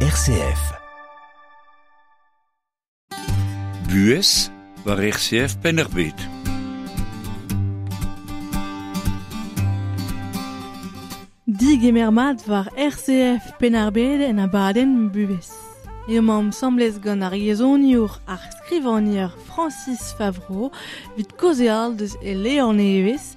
RCF. Buhez war RCF Penn-ar-Bed. Digemer mat war RCF Penn-ar-Bed en abadenn Buhez. Emaomp asambles gant ar yezhoniour ar skrivagner Francis Favreau evit kaozeal deus e levr nevez,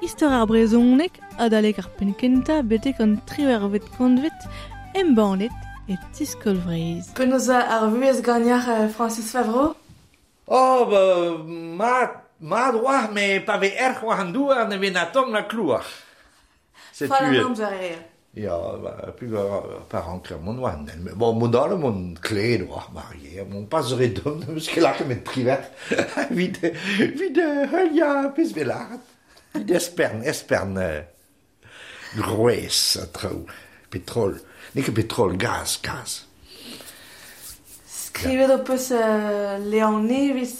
Istor ar brezhoneg adalek ar penn-kentañ betek an triwec'hvet kantved embannet e Ti-Skol Vreizh. Penaos ar vuhez ganeoc'h, Francis Favreau? Oh, ba, mat, mat oa, met pa vez erc'h war an douar ne vez na tomm na klouar. Setu Fall an amzer eo. Ya, ba, pa ranker mont war an hent. Bon, mod all emaon klet oa, Marie. Bon, pas re domm, n'eus ket lakaet met triwec'h evit, evit heuliañ pezh vez lâret. Evit espern, espern gwrez ha traoù. Petrol. N'eo ket petrol, gaz, gaz. Skrivet ho peus levr nevez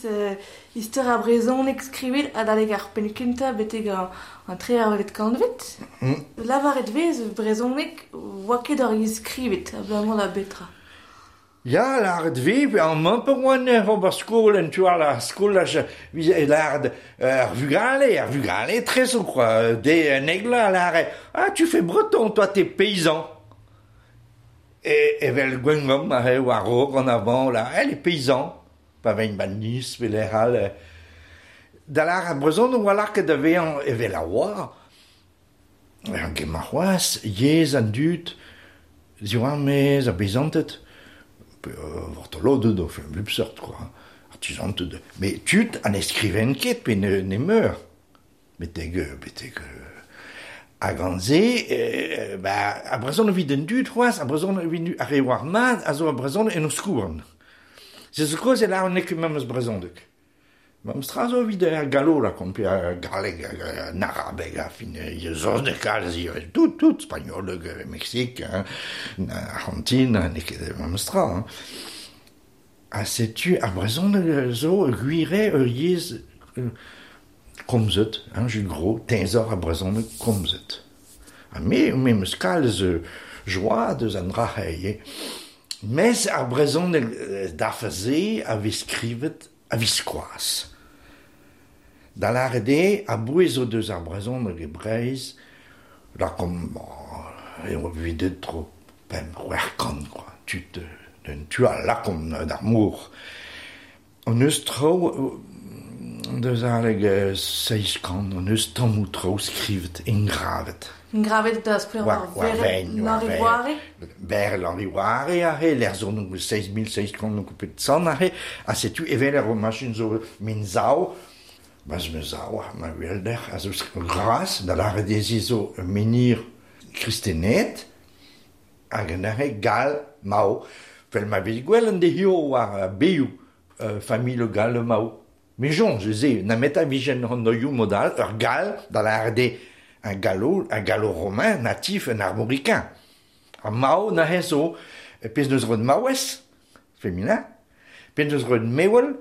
istor ar brezhoneg skrivet adalek ar penn-kentañ betek an triwec'hvet kantved. Lavaret 'vez brezhoneg 'oa ket ur yezh skrivet abalamour da betra? Ya, lâret 'vez, amañ pa oan oc'h ober skol en tu all ar skolaj 'vije lâret ar vugale, ar vugale etrezo kwa, de un egl a lâre ah tu fais breton toi t'es paysan. Evel Gwengamp aze war-raok an avant là, elle est paysan, pa vein 'ba Nice pe lec'h all. Da lâret brezhoneg 'oa lakaet da vezañ evel a oa. Emañ c'hoazh yezh an dud diwar maez ar beizanted, pe vartoloded o fin bep seurt kwa, artizanted, met tud ha ne skrivent ket pe nemeur, betek betek ha gant se ba ar brezhoneg evit an dud c'hoazh, ar brezhoneg evit ar re oar mat a zo ar brezhoneg en o skouarn. Se zo kaoz e lâran n'eo ket memes brezhoneg. Memes tra zo evit ar gallo lakaomp, pe ar galleg, an arabeg, ar fin saozneg kalz ivez, tout, tout, spagnoleg, Meksik, hein, Arc'hantin, n'eo ket memes tra. Hein. Ha setu ar brezhoneg zo gwir eo ur yezh komzet, hein, Jules Gros, teñzor ar brezhoneg komzet. Ha me, me 'm eus kalz joa deus an dra-se ivez. Mes ar brezhoneg dafar-se a vez skrivet a-viskoazh. Da lâret eo, a-bouez o deus ar brezhoneg e Breizh, lakaomp eo evit deuet tro pemp c'hwec'h kant kwa, tud d'un tu all lakaomp d'ar mor. Hon eus traoù deus aleg 700, hon eus tammoù traoù skrivet, engravet. Engravet da skouer war L'Henri Voare? Ber L'Henri Voare aze, lec'h zo 6700 pet sant aze, ha setu evel ar machin zo min sav, ma 'z sav, ma uhelder, a zo gras, da lâret dezhi zo ur menhir kristenet, hag neuze gall, Mao, 'vel ma vez gwelet dezho war bezioù familh gall Mao. Me soñj se, nemet a vijen an oioù mod all, ur gall, da lâret eo un gallo, un gallo-romain natif, un armoricain. Ar Mao neuze zo pezh neus roet maouez, féminin, pezh neus roet mewel,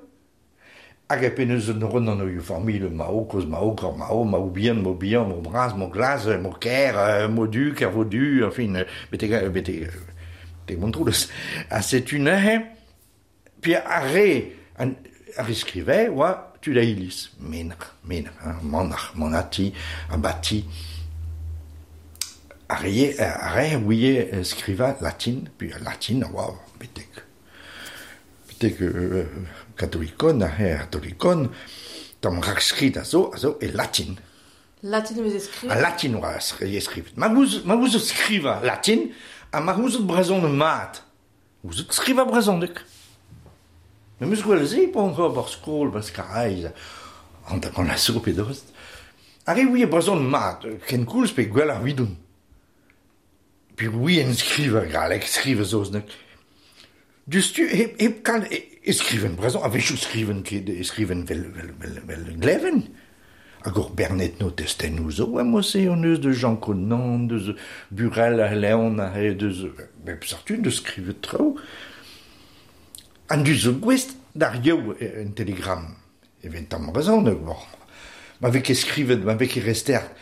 hag pezh neus roet an oioù familh Mao, kozh Mao, grand Mao, Mao bihan, Mao bihan, Mao bras, Mao glas, Mao ker, Mao du, Kervodu, enfin, betek, betek, betek Montroulez. Ha setu neuze, puis ar re, ar re skrive oa tud a iliz, menac'h, menac'h, hein, manac'h, manati, abati. Ar re, ar re a ouie skrivañ latin, puis latin a oa betek, betek katolikon, ar re katolikon, tamm rakskrid a zo, a zo e latin. Latin e veze skrivet? Ha latin oa skrivet. Ma gouzout skrivañ latin, ha ma gouzout brezhoneg mat. Gouzout skrivañ brezhoneg. Me 'meus gwelet se pa on ober skol 'ba Karaez, hanter-kant a zo pe dost. Ar re ouie brezhoneg mat, kenkoulz pe gwelloc'h evidon. Pe ouien skrivañ galleg, skrivañ saozneg. Diouzhtu hep, hep kal e skriven brezhoneg, a-wechoù skriven ket, e skriven 'vel, 'vel, 'vel, 'vel gleven. Hag ur bern etno testennoù zo emañ-se hon eus deus Jean Conan, deus Burel ha Leon aze, deus bep seurt tud deus skrivet traoù. An dud zo gouest d'ar yev un telegram evel tamm brezhoneg, bon. Ma vez ket skrivet, ma vez ket restert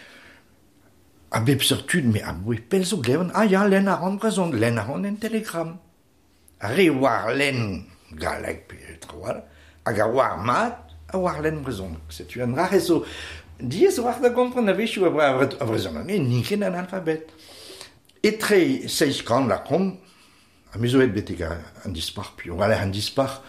a bep seurt tud, met aboe pell zo glevan, ah ya, lenn a ran brezhoneg, lenn a ran en telegram. Ar re war len galleg pe trawal, hag a war mat, a war len brezhoneg. Setu an ra zo diaes war da gompren a-wechoù a brezhoneg, n'int ket an alfabet. Etre seizh kant lakaomp, ha me zo aet betek an dispac'h, piv war an dispac'h,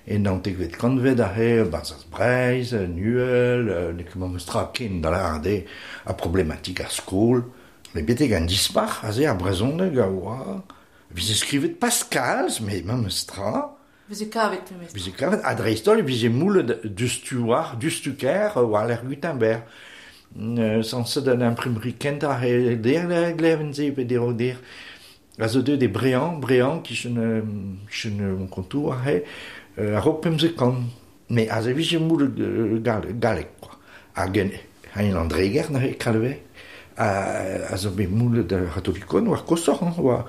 e naontekvet kantved aze, Barzhaz Breizh, Nuel, n'eo ket memes tra ken da lâret eo, ar problematik ar skol. Met betek an dispac'h aze ar brezhoneg a oa, veze skrivet pas kalz, met memes tra. Veze kavet memes tra. Veze kavet, ha dreist-holl e veze moullet diouzhtu war, diouzhtu-kaer war-lerc'h Gutenberg. Sañset an imprimerie kentañ e der gleven-se pe der der. A zo deuet e Brean, Brean kichen kichen Moncontour aze, a-raok pemzek kant. Met aze vije moullet galleg kwa. Hag en Landreger neuze Kalvez a zo bet moullet ar c'hatolikon war koshoc'h hañ, oa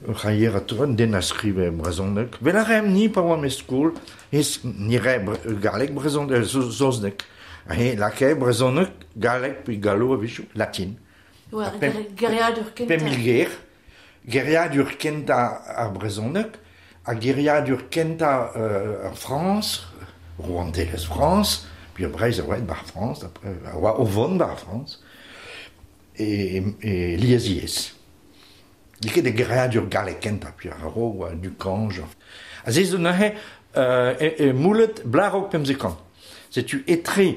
ur c'haier atav, un den a skrive brezhoneg. Vel a raemp ni pa oamp e skol, ez ni rae galleg, brezhoneg, saozneg. He lakae brezhoneg, galleg pe gallo a-wechoù, latin. Oa geriadur kentañ. 5000 ger. Geriadur kentañ ar brezhoneg ha geriadur kentañ ar Frañs, rouantelezh Frañs, puis Breizh a oa aet 'ba ar Frañs, a oa o vont 'ba ar Frañs, e lies-yezh. N'eo ket e geriadur gallek kentañ, puis a-raok oa Ducange. Ha se zo neuze e moullet bloaz 15 kant. Setu etre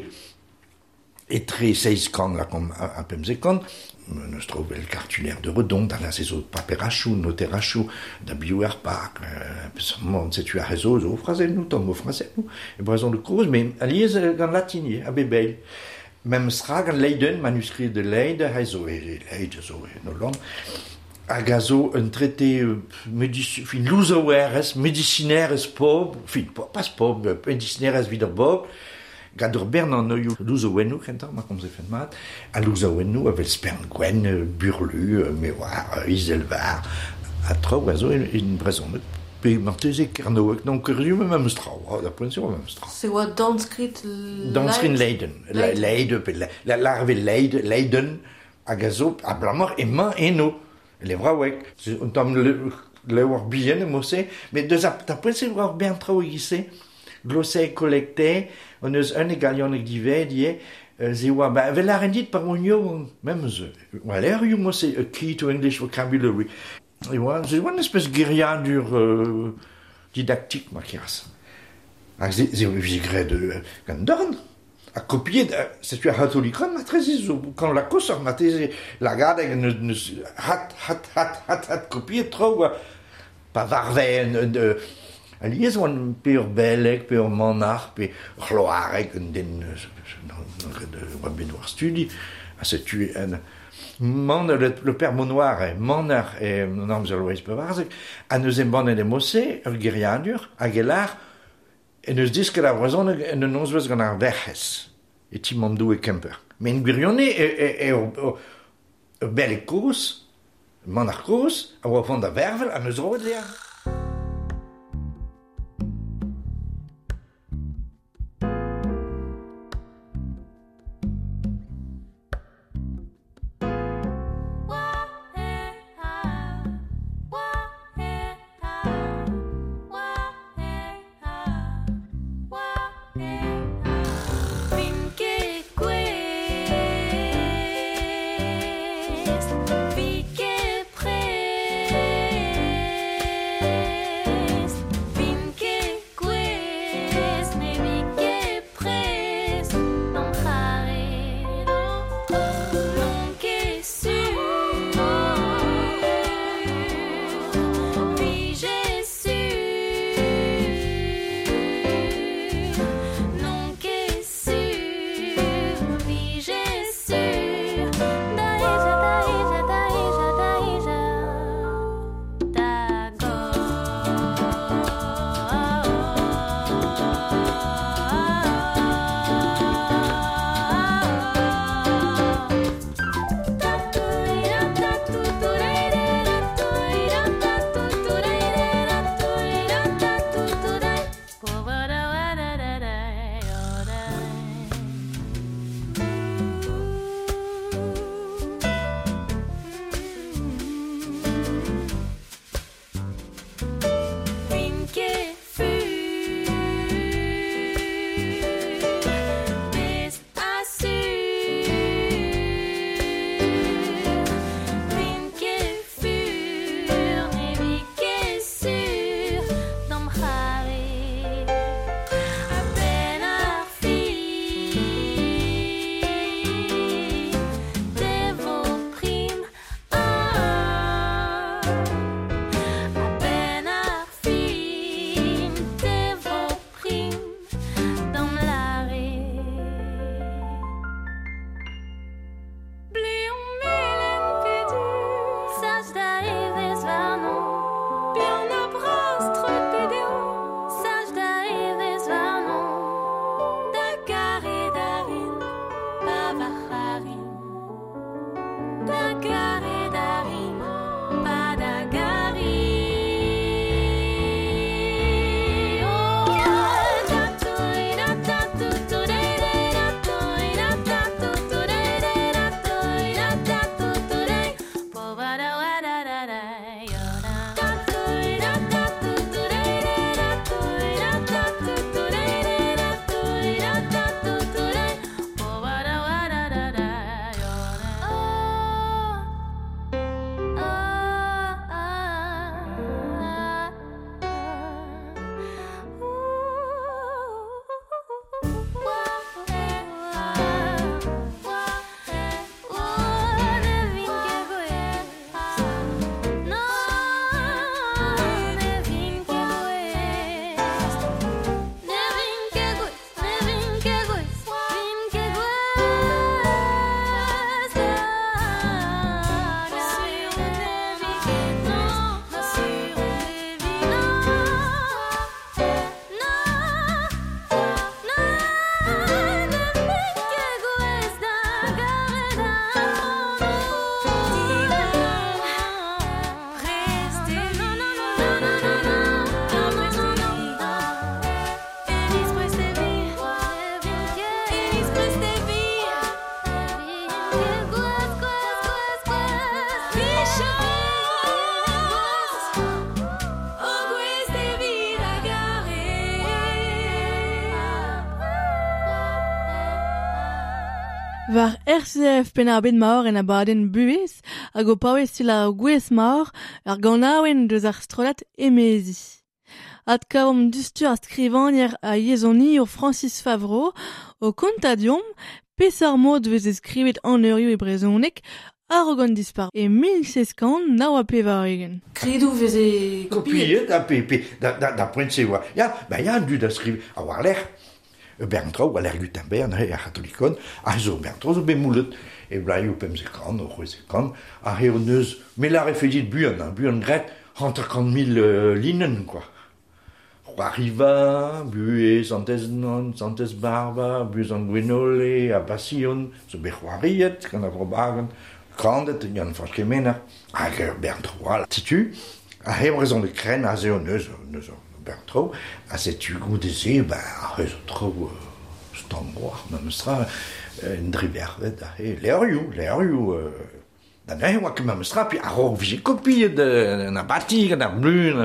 Etre seizh kant lakaomp ha pemzek kant, n'eus traoù evel cartulaire de Redon, da lâret zo paperachoù, noterachoù, da biv ar park, peseurt setu ar re zo zo frazennoù, tamm o frazennoù, e brezhoneg kozh, met alies gant latin ivez, a bep eil. Memes tra gant Leiden, manuscrit de Leyde, he zo e Leyde zo en Holland, hag a zo un trete fin louzaouerezh, medisinerezh pobl, fin pas pobl, medisinerezh evit ar bobl, Gant ur bern anvioù louzaouennoù kentañ, ma komzfen mat, ha louzaouennoù evel spern gwenn, burlu, me oar, izelvar, ha traoù a zo en brezhoneg, pe marteze kernoweg, non kurius memes tra, da poent-se oa memes tra. Se oa dornskrid Dornskrid Leiden, Leide, pe larve Leide, Leiden, hag a zo abalamour emañ eno, levraoueg. Un tamm levr bihan emañ-se, met deus ar poent-se oa ur bern traoù e-giz-se. Glossae collectae, hon eus un e galioneg dived ivez, se oa, ba, evel lâren dit pa oan yaouank, memes, oa levrioù mod-se, A Key to English Vocabulary. E oa, se oa un espèce geriadur didaktik ma keras. Hag se, se vije graet gant dorn. Ha kopiet, setu ar c'hatolikon marteze zo gant la koshoc'h marteze lagadeg neus hat, hat, hat, hat, hat kopiet traoù pa varve un, Alies oan pe ur beleg, pe ur manac'h, pe ur c'hloareg, un den oa bet war studi, ha setu en man le père Monnoir eo manac'h en amzer Loeiz Pevarzek, ha neuze embannet e mod-se ur geriadur hag e lâr en deus desket ar brezhoneg en un nozvezh gant ar Werc'hez e ti Mamm Doue Kemper. Met en gwirionez eo ur beleg kozh, manac'h kozh, a oa o vont da vervel ha 'neus roet dezhañ. War RCF Penn-ar-Bed maor en abadenn buhez hag o paouez selaou gwez maor ar ganaouenn deus ar strollad Emezi. Adkavomp dustur ar skrivagner a yezhoniour Francis Favreau o kontañ deomp peseurt mod veze skrivet an eurioù e brezhoneg a-raok an dispac'h e 1789. Skridoù veze kopiet. Kopiet ha pe, pe da, da, da poent-se oa. Ya, ben ya, an dud a skriv a war-lerc'h. Bern traoù, war-lerc'h Gutenberg, neuze, ar c'hatolikon, ha zo bern traoù zo bet moulet e blaioù 1500, o 1600, ha eo neus, me lârefe dit buan, hein, buan graet, 50 000 linenn, quoi. C'hoariva, buhez Santez Nonn, Santez Barba, buhez an Gwenole, ha Basion, zo bet c'hoariet gant ar Vro-Bagan, kanet gant Fañch Kemener, hag ur bern traoù all. Setu, ar he brezhoneg krenn aze o neus, neus ur bern traoù, ha setu goude-se, ben, ar zo traoù stank war, memestra, en dribervet, he levrioù, levrioù, da neuze oa ket memestra, puis a-raok vije kopiet an abati gant ar blun.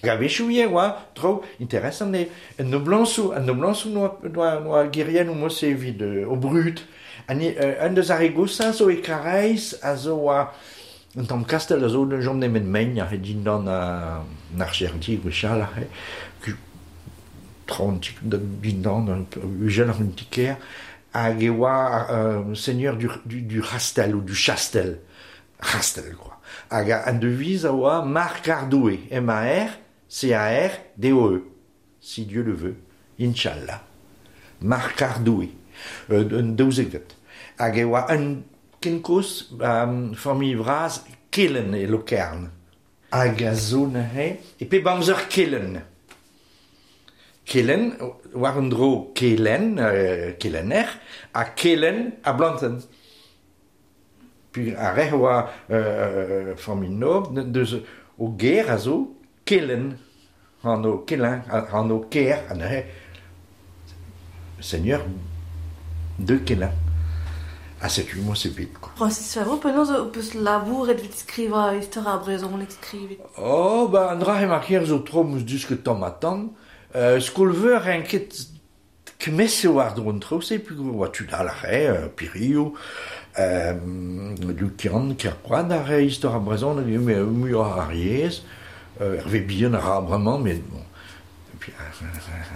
Hag a-wechoù ivez oa traoù interesant eo an noblañsoù, an noblañsoù noa, noa, noa geriennoù mod-se evit o brud. Ha ni, un deus ar re goshañ zo e Karaez a zo oa un tamm kastell a zo ne chom nemet mein aze dindan an archerdi gwechall aze. Traoñ dindan, uheloc'h un ti-kêr. Hag e oa seigneur du, du, du Chastel ou du Chastel. Chastel, quoi. Hag an deviz a oa Mar kar Doue, M-A-R-C-A-R-D-O-E. Si Dieu le veut. Inch'Allah. Mar kar Doue. Un daouzekvet. Hag e oa un kenkoz familh vras Kelen e Lokern. Hag a zo neuze, e pep amzer Kelen. Kelen, war un dro Kelen, kelenner, ha Kelen a blantenn. Puis ar re oa familh nobl, deus o ger a zo Kelen, anv Kelen, anv kêr, ha neuze seigneur de Kelen. Ha setu moi c'est bet, quoi. Francis Favreau, penaos ho peus labouret evit skrivañ istor ar brezhoneg skrivet? Oh, ba, an dra he markier zo tro 'm eus desket tamm ha tamm. Skol-veur en ket kemese war dro an traoù-se, peogwir oa tud all a rae, Piriou, Lukian, Kerkoad a rae istor ar brezhoneg, met muioc'h ar yezh. Hervé Bihan a ra bremañ, met bon, puis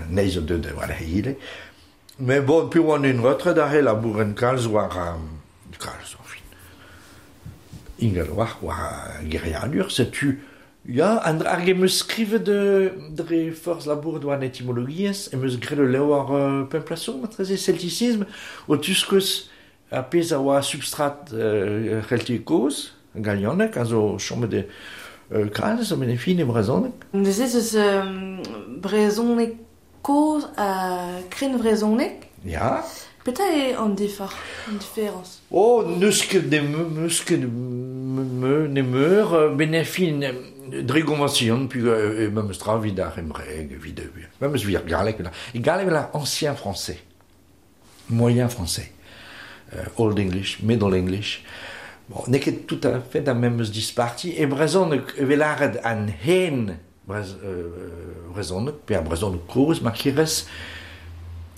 anezhi zo deuet war he Mais bon, puis oan en retret aze labouren kalz war kalz, enfin. Ingal war war geriadur, setu ya, an hag em eus skrivet dre forzh labouret war an etimologiezh, em eus graet ul levr pemp plasour, matreze celticisme, o tuskeus ar pezh a oa substrat c'heltiek kozh, galianeg, a zo chomet e kalz, a-benn ar fin e brezhoneg. Neuze ez eus brezhoneg kozh ha krennvrezhoneg. Ya. Petra eo an difar, an diferañs? Oh, n'eus ket n'eus ket nemeur, benn ar fin dre goñvañsion, puis memes tra evit ar c'hembraeg, evit memes evit ar galleg. E galleg la ancien français, moyen français, old English, middle English. Bon, n'eo ket tout à fait ar memes disparti. E brezhoneg e vez lâret an hen brezhoneg, pe ar brezhoneg kozh, ma kirez,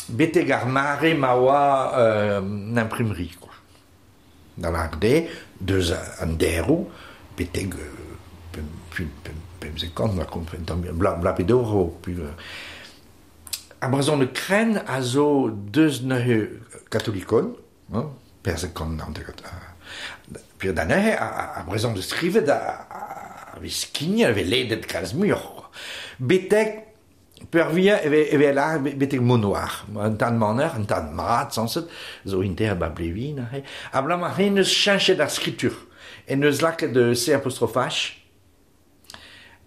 betek ar mare ma oa an imprimerie, quoi. Da lâret eo, deus an deroù, betek pemzek kant, ma kompren tamm, bla, bla pe daou, puis, ar brezhoneg krenn a zo deus neuze katolikon, hein, perzek kant naontek, puis da neuze, ar brezhoneg skrivet a vez skignet, a vez ledet kalz muioc'h, quoi. Betek peurvuiañ e vez lâret betek Monoar, un tad maner, un tad mat, sañset, zo inter ba Blevin aze. Abalamour hen eus cheñchet ar skritur. En eus lakaet C apostrophe H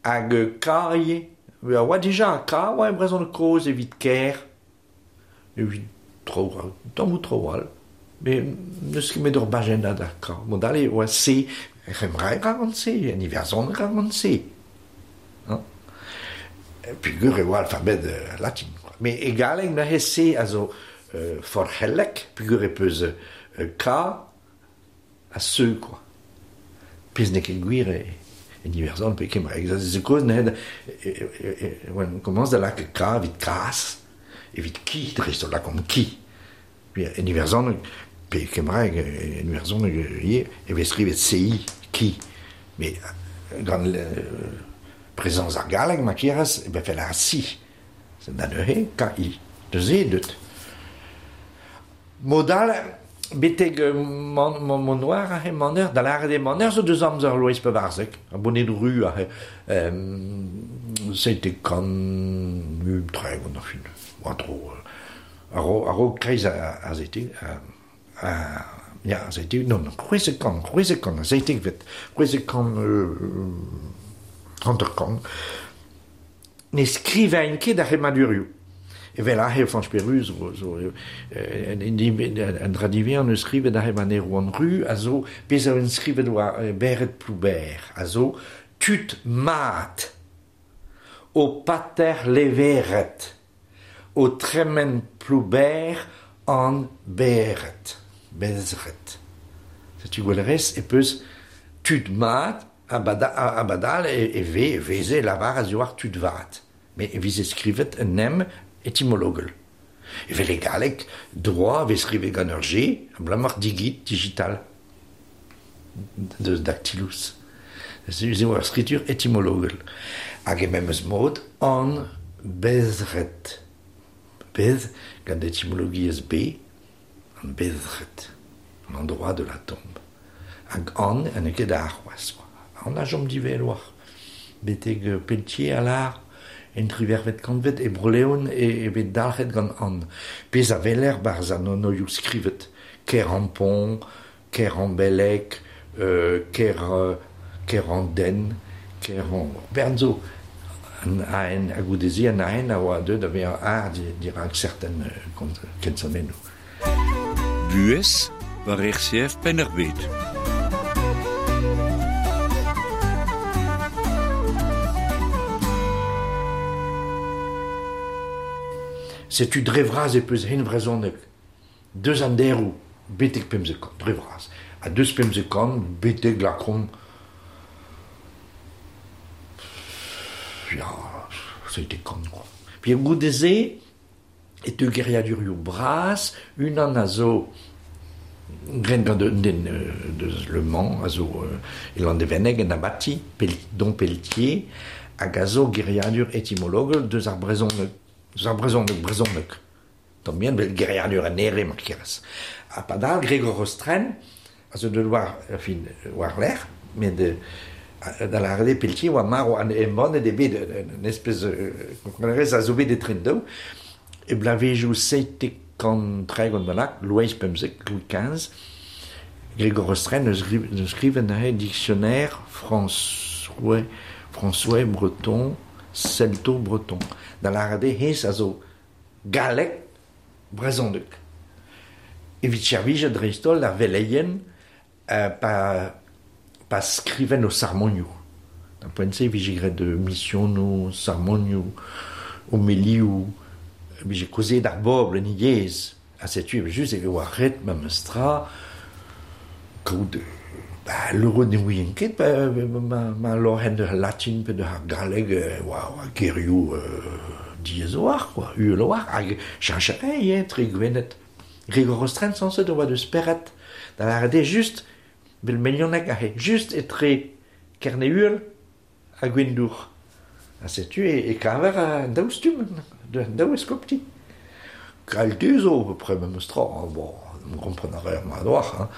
hag K ivez. A oa dija K oa e brezhoneg kozh evit kêr, evit traoù, tammoù traoù all. Met n'eus ket met ur bajennad ar K. Mod all e oa C, er c'hembraeg a gant C, en iwerzhoneg a gant C. Hein? Peogwir e oa alfabet latin, quoi. Met e galleg neuze C a zo forc'hellek, peogwir e peus K ha C, quoi. Pezh n'eo ket gwir en Iwerzhon pe kembraeg. Se kaoz neuze e komañs da lakaat K evit kazh, evit ki, dreist-holl lakaomp ki. En Iwerzhoneg Pe kembraeg, en iwerzhoneg ivez, e vez skrivet CI, ki. Met gant prezañs ar galleg ma kerez, e vefe lâret si. Da neuze, KI. Deus e deut. Mod all, betek mon noir aze maner, da lâret eo maner zo deus amzer Loeiz Pevarzek, ar boned ru aze, 730 ar fin, war-dro, a-raok kreiz ar seitek, ya, ar seitek, non, 600, 600, ar seitekvet, 650, ne skrivain ket ar c'hemmadurioù. Evel aze Fañch Peru zo, zo an dra diwezhañ neus skrivet aze war Erwan Ru a zo pezh a skrivet war Bered Plouber a zo tud mat o pater leveret o tremen Plouber an Bered bezret. Setu gwell e peus tud mat a-badal e veze lavar a zo war tud vat. Met e veze skrivet un em etymologel. Evel e galleg, droit vez skrivet gant ur G, abalamour digit, digital, deus dactylus. Se eo ur skritur etymologel. Hag e memes mod, an bezret. Bez, gant etymologiezh B, an bezret, an endroit de la tombe. Hag an, ha n'eo ket ar c'hoazh. An a chom divel war. Betek Pelletier a lâr, en trivervet kantved e Bro-Leon e bet dalc'het gant an. Pezh a weler barzh an anvioù skrivet. Kerampont, Kerambelleg, Keranden, Keran... Bern zo an aen, ha goude-se an aen a oa deuet da vezañ ar dirak certain kensonennoù. Buhez war RCF Penn-ar-Bed. Setu dre vras e peus hen vrezhoneg. Deus an deroù betek 15 kant, dre vras. Ha deus 15 kant betek lakaomp ya, 70 kant quoi. Puis goude-se e teu geriadurioù bras, unan a zo graet gant un den deus Le Mans, a zo e Landevenneg en abati, Dom Pelletier, hag a zo geriadur etymologel deus ar brezhoneg, deus ar brezhoneg, brezhoneg. Tamm bihan vel geriadur an ere mar kerez. Ha padal Gregor Rostren, a zo deut war, fin, war-lerc'h, met da lâret eo Pelletier oa marv an embannet eo bet un espèce komprenerez a zo bet etre daou, e bloavezhioù 730 bennak, Loeiz XV, Louis XV, Gregor Rostren eus skrivet neuze dictionnaire François, François breton, celto-breton. Da lâret eo hennezh a zo galleg brezhoneg. Evit servijet dreist-holl ar veleien pa skriven o sarmonioù. D'ar poent-se e vije graet misionoù, sarmonioù, homelioù, e vije kaozeet ar bobl en he yezh. Ha setu evel-just e oa ret memes tra kaout ba loro ne ouien ket ba ma loc'henn deus al latin pe deus ar galleg oa gerioù diaes a-walc'h quoi, uhel a-walc'h hag cheñch a rae ivez etre Gwened. Gregor Rostren sañset a oa deus Spered, da lâret eo just vel Melioneg aze, just etre Kerne-Uhel ha Gwendour. Ha setu e kaver an daou stumm, an daou eskopti. Kalite zo à peu près memes tra, bon, kompren a reer mat a-walc'h, hein.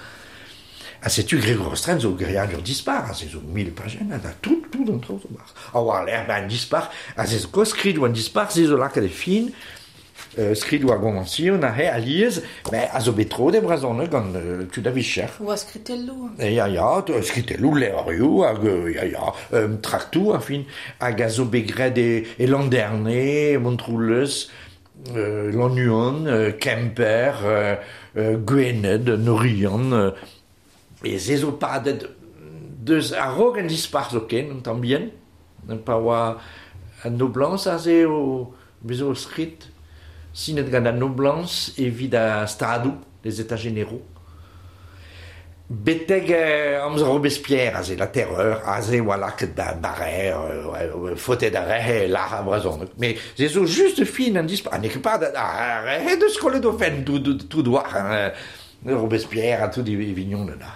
Ha setu Gregor Rostren zo geriadur dispar, aze zo 1000 pajenn, ha tout, tout an traoù zo 'barzh. Ha war-lerc'h, ben, an dispac'h, aze zo kozh skridoù an dispac'h, se zo lakaet e fin, skridoù ar goñvañsion aze alies, ben, a zo bet troet e brezhoneg gant tud a vicher. Oa skritelloù. Ya, ya, skritelloù, levrioù, hag ya, ya, traktoù, enfin, hag a zo bet graet e Landerne, Montroulez, Lannuon, Kemper, Gwened, Norian, e se zo padet deus a-raok an dispac'h zoken, un tamm bihan, pa oa an noblañs aze o bezañ o skrid, sinet gant an noblañs evit ar stadoù, les états généraux. Betek amzer Robespierre aze, la terreur, aze oa lakaet da barer, faotet ar re lâr ar brezhoneg. Met se zo just fin an dispac'h, ha n'eo ket padet ar re deus kollet o fenn tout war, hein. Robespierre a tout e vignon da.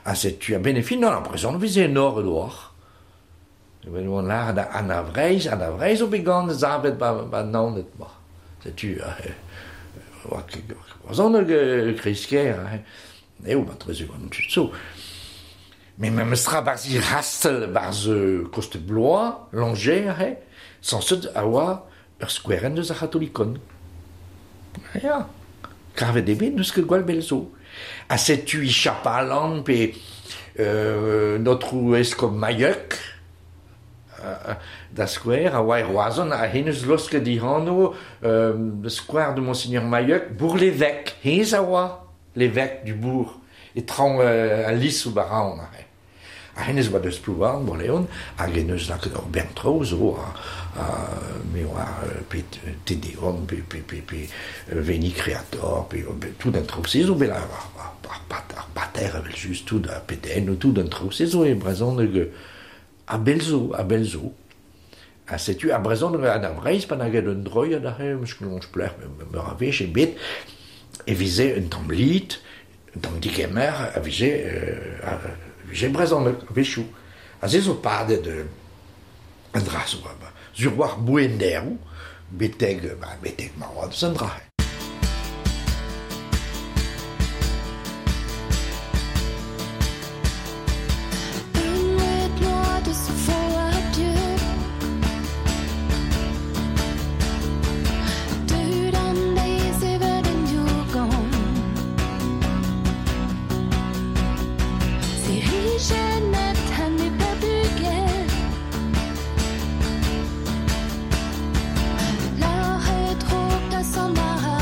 Ha setu a ben e fin, non, brezhoneg veze enor oar. Ben oan lar da Anna Vreizh, Anna Vreizh o bet gant zavet ba naoned ma. Setu, oa brezhoneg kreizker, eo, ba treze gant tud zo. Mais même stra barz i rastel barz koste Blois, Langeais, sanset a oa ur skouerenn deus ar c'hatolikon. Ya, kavet eo bet n'eus ket gwall bell zo. Ha setu i chapalan pe notre eskob Mailleuk, da skouer, a oa e Roazhon, a hennezh losket dihano square de Monseigneur Mailleuk, Bourg-l'Évêque, hennezh a oa l'évêque du bourg, e traoñ al lis ou baraon aze. Ha hennezh oa deus Plouarn, Bourleon, hag en eus lakaet ur bern traoù zo, ha me oa pe Te Deum, pe Veni Creator, pe tout an traoù-se zo bet ar pater evel just, tout ar pedennoù, tout an traoù-se zo e brezhoneg a bell zo, a bell zo. Ha setu ar brezhoneg an ar Breizh pa nag un droiad aze, meus ket soñj pelec'h, meur a wech ebet, e veze un tamm lid, un tamm digemer, a vije vije brezhoneg a-wechoù. Ha se zo padet an dra zo, ba, sur war bouenderoù, betek, ba, betek ma oa deus an dra. Une loi de ce faux adieu. Dud an deiz evel en diougant. Sirijennet ha ne pa bugel. Lâret raok da sant ar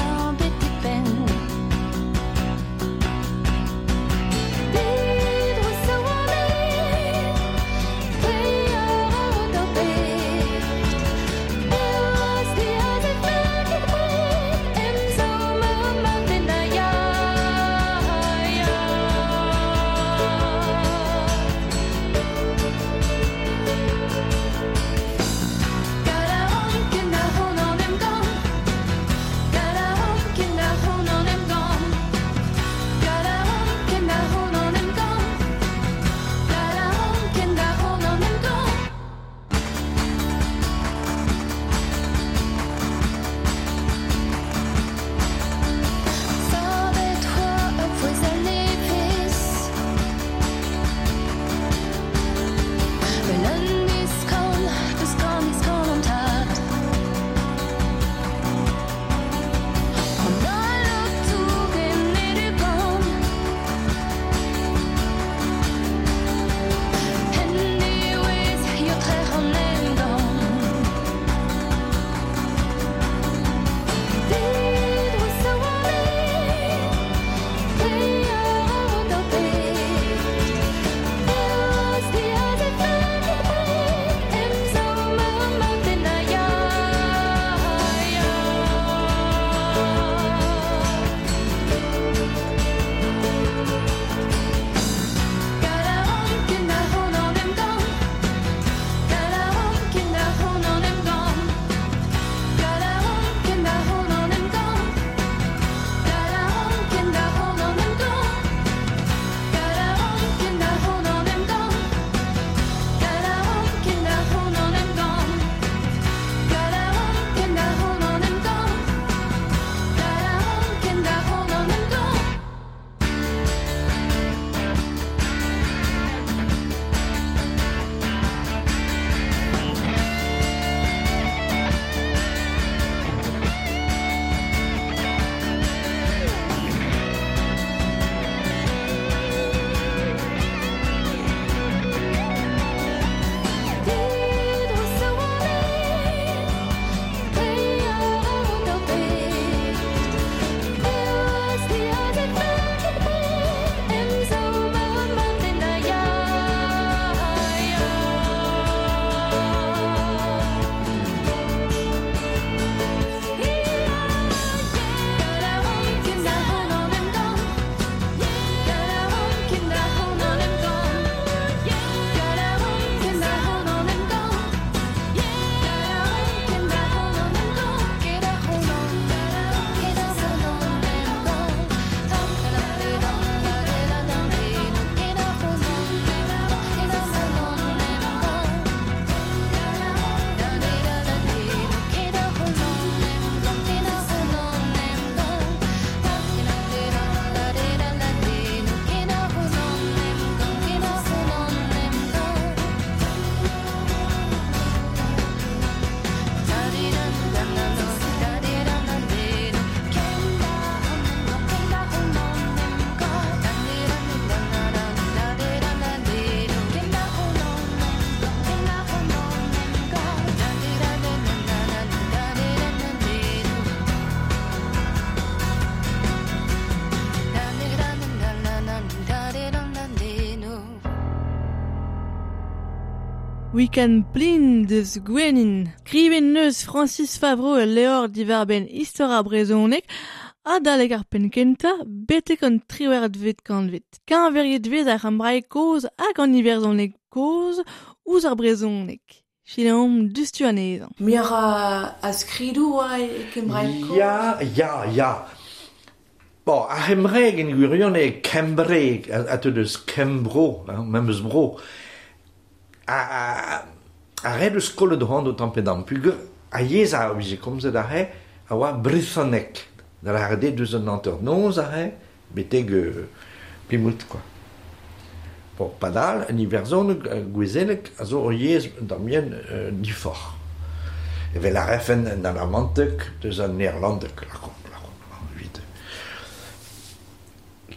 Weekend plin deus Gwenin. Kriven neus Francis Favreau e leor divarben istor ar brezhoneg adalek ar penn kentañ betek an 18vet kantved. Keñveriet vez ar c'hembraeg kozh hag an iwerzhoneg kozh ouzh ar brezhoneg. Selaomp diouzhtu anezhañ. Muioc'h a skridoù oa e kembraeg kozh? Ya, ya, ya. Bon, ar c'hembraeg en gwirionez eo kembraeg, a teu deus Kembro, hein, memes bro. A ret eus kollet c'hoant o tamm pe damm. Peogwir ar yezh a vije komzet aze a oa brezhoneg. Da lâret eo deus an hanternoz aze betek Plymouth kwa. Bon, padal, en iwerzhoneg gouezelek a zo ur yezh un tamm yen diforc'h. Evel a refen en alamanteg deus an neerlandeg, lakaomp, lakaomp, evit.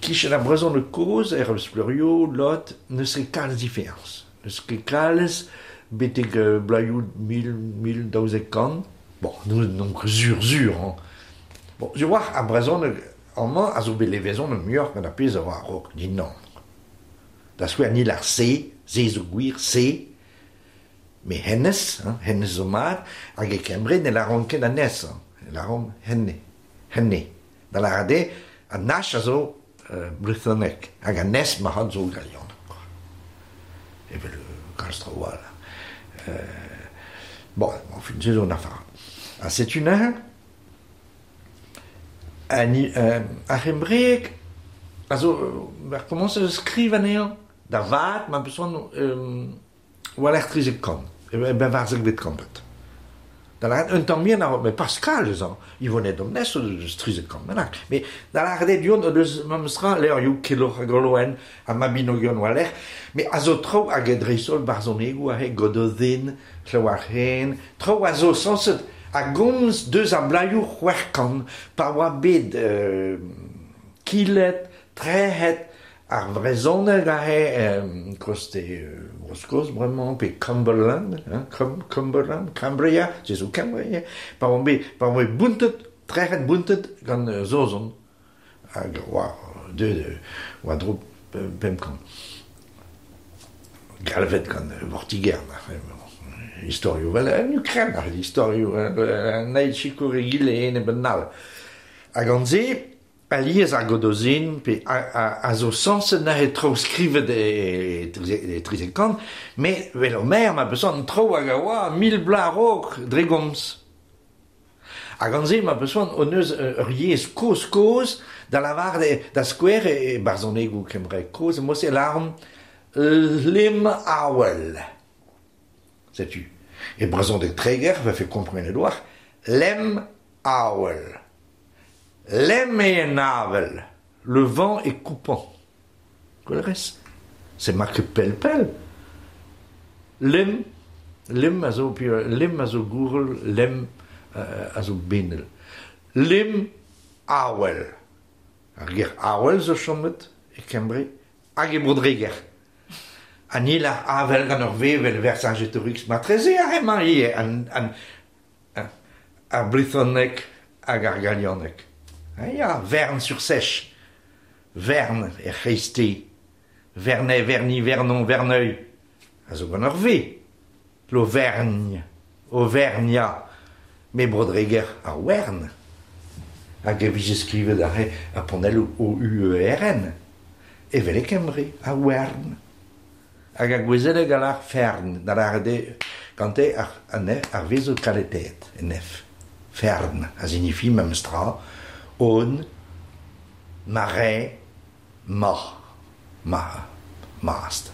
Kichen ar brezhoneg kozh, er Spleurio, Lot, n'eus ket kalz diferañs. N'eus ket kalz betek bloazioù 1000, 1200. Bon, n'on ket sur sur, hein. Bon, sur war ar brezhoneg amañ a zo bet levezonet muioc'h gant ar pezh a oa a-raok dindan. Da skouer ni lar se, se zo gwir, se, me hennezh, hein, hennezh zo mat, hag e Kembre ne laront ket anez, hein, e laront henne, henne. Da lâret eo, an H a zo brezhoneg, hag an S marc'had zo galianeg, quoi. Evel kalz traoù all. Bon, enfin, se zo un afer. Ha setu neuze, ar c'hembreeg a zo war komañs eus skriv anezhañ da vat ma peus c'hoant war-lerc'h 13 kant, e 14vet kantved. Da lâret un tamm bihan a-raok, met Pascal eus an Yvonne Domnes o deus 13 kant bennak. Met da lâret eo du-hont o deus memes tra levrioù Keloc'h hag Oloen ha Mabinogion war-lerc'h, met a zo traoù hag dreist-holl barzhonegoù aze Gododdin, Llywarch, traoù a zo sañset a gomz deus ar bloazioù 600 pa oa bet kilet, trec'het ar vrezhoneg aze koste Bro-Skos bremañ pe Cumberland, hein, Cumberland, Cambria, se zo Cambria, pa oant bet bountet, trec'het bountet gant Saozon. Hag oa deuet war-dro 500. Galvet gant Vortigern, istorioù vel en Ukraine, istorioù an eil sikour egile enep an all. Hag an se, alies ar Gododdin pe a zo sañset neuze traoù skrivet e 13 kant, met vel Homer ma peus an traoù hag a oa 1000 bloaz a-raok dre gomz. Hag an se ma peus c'hoant hon eus ur yezh kozh-kozh da lavaret da skouer e barzhonegoù kembraeg kozh, e mod-se lâromp lem awel. Setu. E brezhoneg Treger vefe komprenet oar, lem awel. Lem eo an avel. Le vent est coupant. Gwell C'est marqué pell-pell. Lem, lem a zo, lem a zo gourel, lem a zo benel. Lem awel. Ar ger awel zo chomet e Kembre hag e Bro-Dreger. Ha ni lar avel gant ur V vel Vercingétorix matreze ar emañ ivez ar brezhoneg hag ar galianeg. Ha ya, Verne sur Seiche. Verne er c'hreisteiz. Verney, Verny, Vernon, Verneuil. A zo gant ur V. L'Auvergne, Auvernia. Me Bro-Dreger ar Wern. Hag e vije skrivet aze ar panelloù O-U-E-R-N. Evel e Kembre, ar Wern. Hag ar gouezeleg a lar fern, da lâret eo gante ar V zo kaletaet, en F. Fern, a signifie memes tra, on, marais, ma, ma, mast,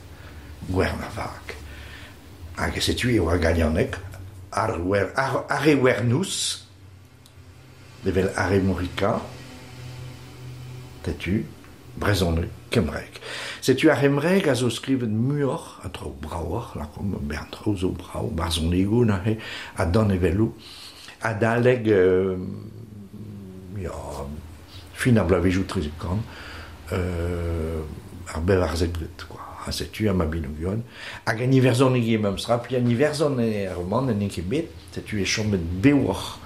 gwern ar vag. Hag setu eo ar galianeg, ar e wernous, evel Aremorica, setu, brezhoneg, kembraeg. Setu ar c'hembraeg a zo skrivet muioc'h, a traoù bravoc'h, lakaomp, bern traoù zo brav, barzhonegoù neuze, ha danevelloù, adalek ya, fin ar bloavezhioù 13 kant, ar 14vet, quoi. Ha setu ar Mabinogion. Hag an iwerzhoneg eo memes tra, pi an Iwerzhon e ar roman en ket bet, setu e chomet bewoc'h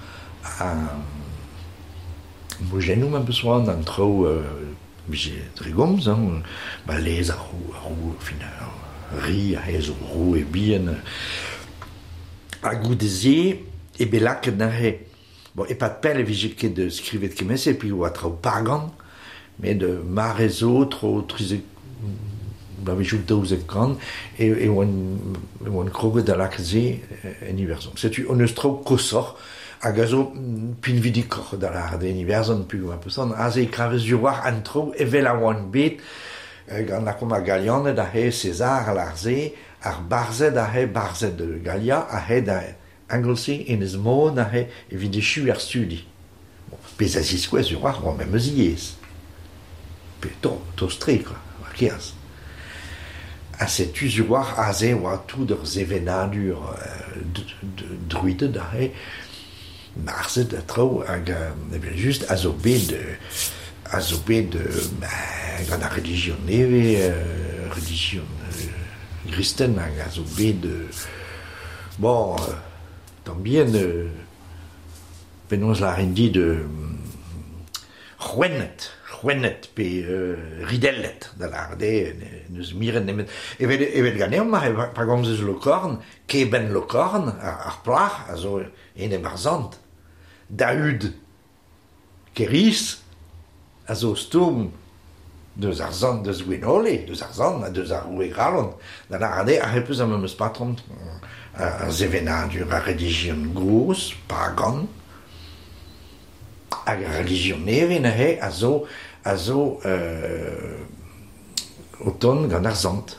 a mojennoù ma peus c'hoant, an traoù vije dre gomz, hein, ba lez ar roue, fin, ri a zo roue bihan ha goude-se e bet lakaet neuze bon e-pad pell e vije ket skrivet kement-se puis oa traoù pagan met mare zo tro 13 bloavezhioù 12 kant e oan kroget da lakaat se en Iwerzhon. Setu hon eus traoù koshoc'h hag a zo pinvidikoc'h da lâret en Iwerzhon peogwir ma peus aze e kavez war an traoù evel a oant bet gant lakaomp ar Galianed aze César a lâr se, ar barzhed aze barzhed Galia aze da Anglesey Enez Mon aze evit echuiñ ar studi. Bon, pezh a ziskouez war oa memes yezh. Pe tost-tre quoi, war keaz. Ha setu sur war aze oa tout ur sevenadur druided aze, marzhed ha traoù hag evel-just a zo bet a zo bet gant ar relijion nevez, relijion gristen hag a zo bet bon tamm bihan penaos lârin dit c'hwennet, c'hwennet pe ridellet da lâret eo n'eus miret nemet evel evel ganeomp mar pa gomzez Lokorn, keben Lokorn ar plac'h a zo enep ar sant Daoud Kêr-Iz a zo stourm deus ar sant deus Gwenole, deus ar sant ha deus ar roue Gralon da lâret eo ar peus ar memes patrom ar sevenadur, ar relijion gozh, pagan, hag ar relijion nevez neuze a zo a zo o tont gant ar sant.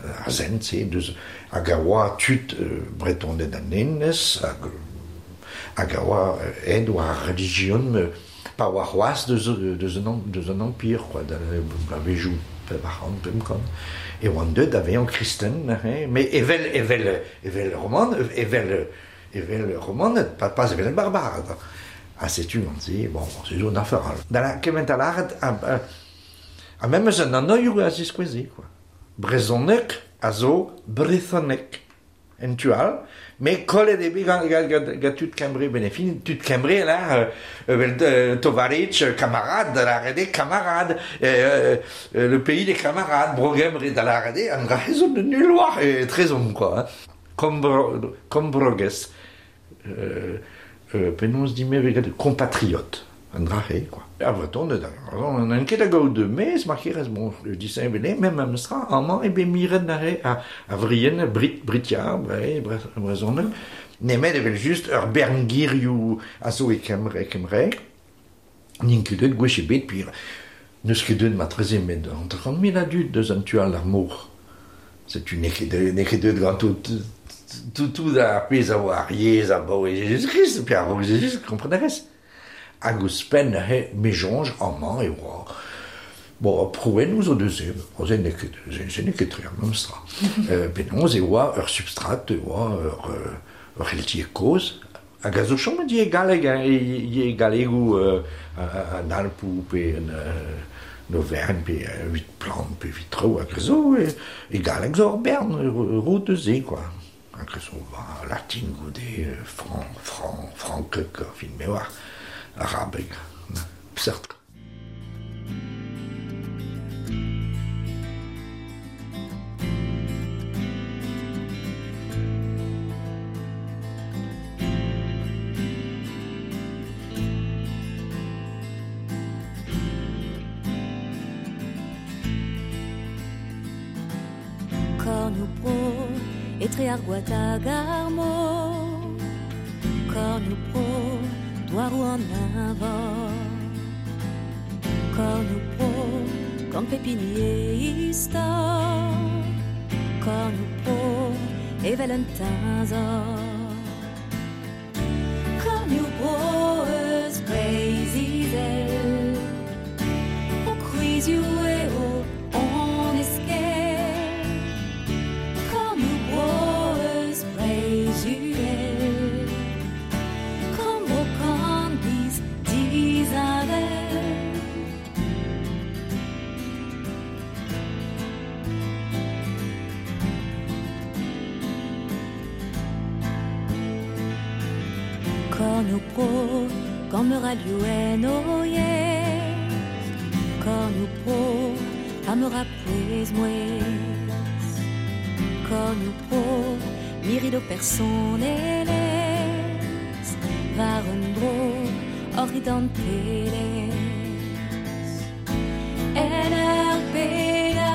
Ar sent-se deus hag a oa tud Bretoned an Enez hag hag a oa aet war ar relijion pa oa c'hoazh deus deus an deus an empire quoi da bloavezhioù 400 500 e oant deuet da vezañ kristen neuze met evel evel evel roman evel evel romaned pas pas evel barbared ha setu gant se bon se zo un afer all da kement a lâret ha memes an anvioù a ziskoueze quoi brezhoneg a zo brezhoneg en tu all, met kollet eo bet gant, gant, gant, gant tud Kembre ben e fin, tud Kembre là, evel tovaritch, kamarad, da lâret eo kamarad, le pays des camarades, Bro Gembre da lâret eo, an dra-se zo nul war etrezomp quoi. Kombro, Kombroges, penaos dit-me compatriote. An dra-se quoi. Ar Vretoned, n'int ket da gaout mezh ma kerez, bon, disheñvel eo, met memes tra, amañ eo bet miret neuze ar vrienn, Brit, Britia, brezhoneg, nemet evel-just ur bern gerioù a zo e Kembre, kembraeg, n'int ket deuet gwech ebet, puis n'eus ket deuet marteze met 50 000 a dud deus an tu all d'ar mor. Setu n'eo ket n'eo ket deuet ganto tout tout ar pezh a oa ar yezh abaoe Jezuz-Krist, pe a-raok Jezuz, kompren a rez. Hag ouzhpenn neuze, me soñj amañ e oa bon prouennoù zo deus se, se n'eo ket se n'eo ket tre ar memes tra. Penaos e oa ur substrat, e oa ur c'heltieg kozh hag a zo chomet ivez galleg hein, ivez gallegoù an Alpoù pe an Auvergne pe evit plant pe evit traoù hag a zo e galleg zo ur bern roud deus se quoi. Hag a zo latin goude, franc, franc, frankek, fin me oar. Arabeg, seurt. Kornioù-bro etre ar gwad hag ar mor Kornioù-bro douaroù an eñvor Kornioù-bro gant pep hini e istor Kornioù-bro evel un teñzor Kornioù-bro eus Breizh-Izel Ho kwrizioù eo hon eskell Kornioù-bro eus Breizh-Uhel Kambro kant biz disheñvel Kornioù-bro gant meur a liv en ho yezh Kornioù-bro ha meur a pouez-mouezh Kornioù bro, mirit ho personelezh, war un dro hoc'h identelezh. En ur beda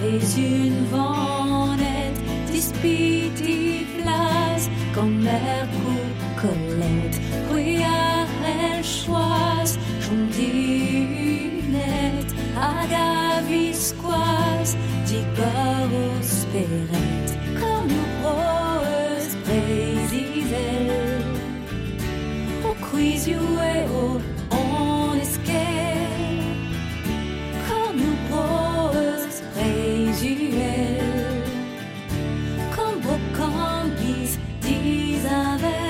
vez unvanet, dispiti vlas gant merkoù kollet. C'hwi a c'hell choaz chom dihunet hag a-viskoazh digor ho spered. Kornioù bro eus Breizh-Izel, ho kwrizioù eo hon eskell. Kornioù bro eus Breizh-Uhel, korn bro kant giz disheñvel.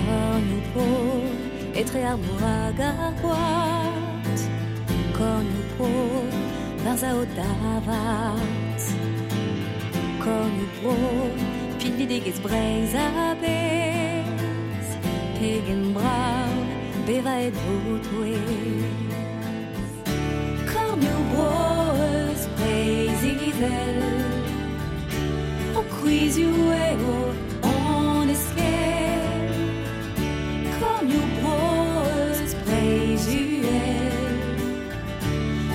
Kornioù bro, etre ar mor hag ar gwad. Kornioù bro, war zao davat. Kornioù bro, pinvidigezh Breizh a-bezh. Pegen brav bevañ e ho touez. Kornioù bro eus Breizh-Izel, ho kwrizioù eo hon eskell. Kornioù bro eus Breizh-Uhel,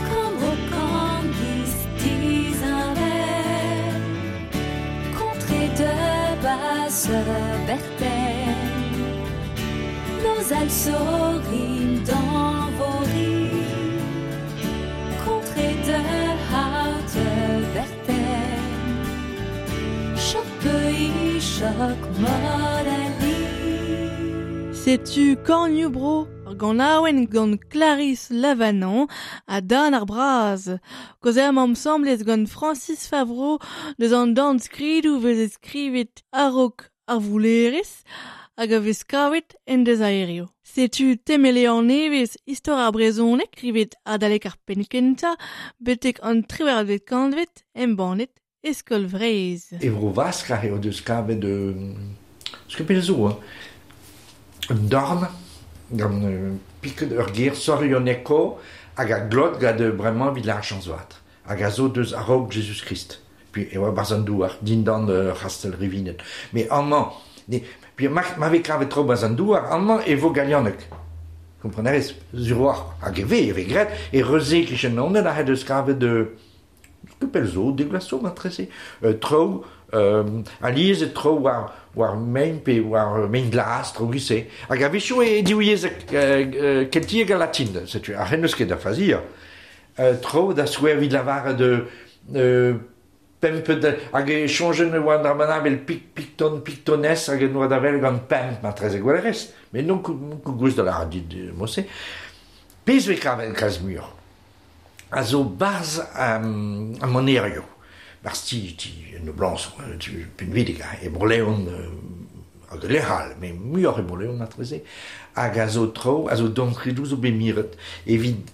korn bro kant giz disheñvel. Contrée de basse Bertelle, nos alsorines dans vos rives. Contrée de haute Bertelle, choc pays, choc modali. Setu Kornioù bro, ur ganaouenn gant Clarisse Lavanant ha Dan ar Braz. Kaozeomp asambles gant Francis Favreau deus an dornskridoù veze skrivet a-raok ar voulerezh hag a vez kavet en deus aerioù. Setu temelean nevez istor ar brezhoneg skrivet adalek ar penn kentañ betek an triwec'hvet kantved embannet e Skol Vreizh. E vro Vask a eo deus kavet skopel zo, hein. Un dorn gant piket ur ger sorioneko hag a glot gant bremañ evit ar chañs-vat. Hag a zo deus a-raok Jésus-Christ. Puis e oa barzh an douar, dindan c'hastell Rivinet. Mais amañ, ne, puis ma vez kavet tro barzh an douar, amañ e vo galianeg. Komprenerez, sur war, hag e ve, e ve graet, e reuze kichen onet a deus kavet skopel zo, deglaso matrese. Tro, alies e tro war mein pe war mein glas, tro gise. Hag a-wechoù e diwyezhek keltiek ha latin, setu, ar c'hen eus ket da fazia. Tro da skouer evit lavaret de pemp de, hag e chonjen oa an dra vel pik, pikton, piktones, hag en oa da vel gant pemp, matreze gwelerez. Mais non kou da la dit mose. Pezh ve kavet kalz mur. A zo barz a manerioù. Barz ti noblañs, ti pinvidik, e Bro-Leon hag lec'hal, mais muioc'h e Bro-Leon matreze, hag a zo tro, a zo dornskridoù zo bet miret, evit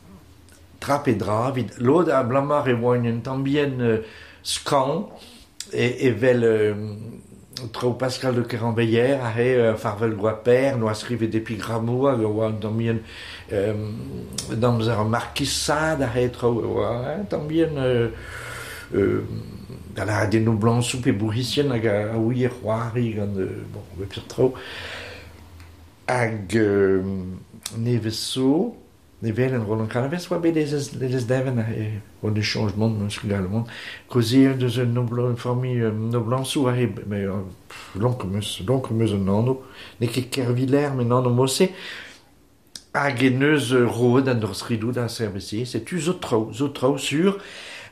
trap e dra, evit lod a blamar e oa un tamm bihan skañv, evel tro Pascal de Keranveiller, a he Farvel Goaper, noa skrivet epigrammoù hag oa un tamm bihan damzer markisad a he tro, oa un tamm bihan da la den noblañsoù pe bourc'hizien hag a ouie c'hoari gant bon, bep seurt tro. Hag nevez zo, ne vel en Roland Calvez oa bet ez deven e oa de changement meus ket gallet mont. Kaozeal deus un noblan, familh noblañsoù a he, mais lonk meus un anv, n'eo ket Kerviller, met an anv mosse, hag e neus roet an dornskridoù da CRBC, setu zo tro sur,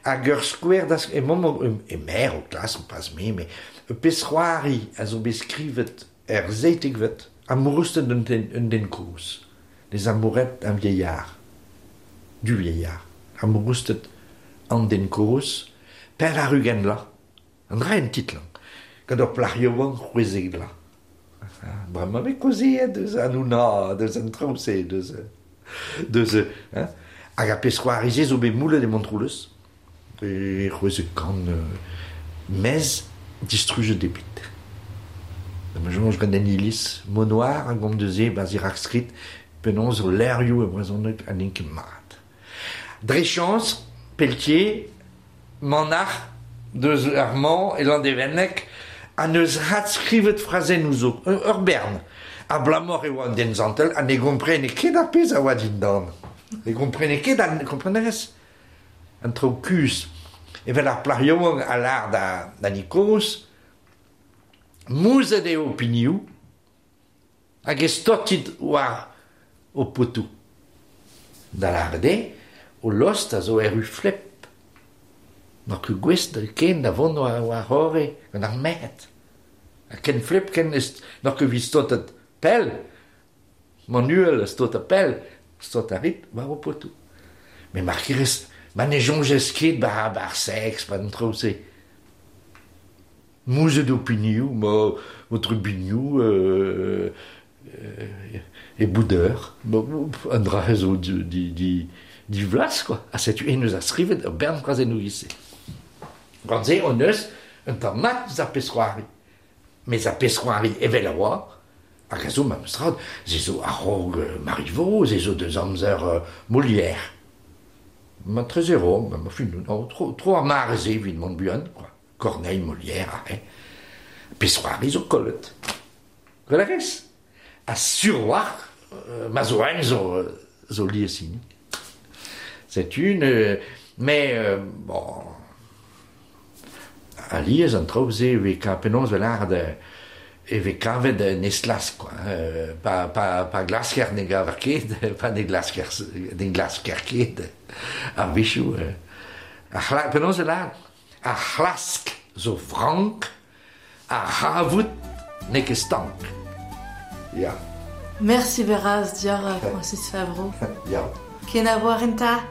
hag ur skouer da e mom e mer o klas, pas me, mais pezh c'hoari a zo bet skrivet er zeitekvet, amourusted un den kozh. Les amourettes un vieillard, du vieillard, amourusted an den kozh, per ar ugent la, an dra en titl, gant ur plac'h yaouank c'hwezek la. Bremañ me kaozeet deus an ouna, deus an traoù-se, deus hein. Hag a pezh-c'hoari-se zo bet moulet e Montroulez. E c'hwezek kant mez distrujet eo bet. Ma soñj gant an iliz, Monoir a gomz deus se 'barzh e rakskrid penaos zo levrioù e brezhoneg ha n'int ket mat. Dre chañs, Pelletier, manac'h deus ar Mans e Landevenneg, ha neus adskrivet frazennoù zo, ur bern. Abalamour e oa un den santel ha ne gomprene ket ar pezh a oa dindan. Ne gomprene ket, kompren a rez? An traoù kuzh. Evel ar plac'h yaouank a lâr da, da Nikoz, mouzhet eo ho pignoù hag e stotit war ho potoù. Da lâret eo, ho lost a zo erru flep. N'oc'h ket gouest ken da vont war war-c'horre gant ar merc'hed. Ha ken flep ken n'oc'h ket evit stotat pell. Manuel a stota pell, stot a rit war ho potoù. Met mar kerez, ma ne soñjez ket 'ba ar seks, 'ba an traoù-se. Mouzhet ho pinioù, ma ho trubinioù e boudeur. An dra-se zo divlas quoi. Ha setu en deus skrivet ur bern frazennoù e-se. Gant se hon eus un tamm mat eus ar pezh-c'hoari. Mes ar pezh-c'hoari evel a oa, hag a zo memes tra, se zo a-raok Marivaux, se zo deus amzer Molière. Ma trezero, ma fin, no, tro, tro ar mare-se evit mont buan, quoi. Corneille, Molière, arre. Pezh-c'hoari zo kollet. Gwell a rez. Ha sur a-walc'h, ma zo en zo, zo lies hini. Setu, ne, mais, bon, alies an traoù-se e vez penaos e lâret e vez kavet un esklask quoi. Pa, pa, pa glasker ne gaver ket, pa ne glasker, ne glasker ket a-wechoù. Ar c'hla, penaos e lâret Ar c'hlask zo frank, ar c'havout n'eo ket stank. Ya. Mersi bras deoc'h, Francis Favreau. Ya. Kenavo enta.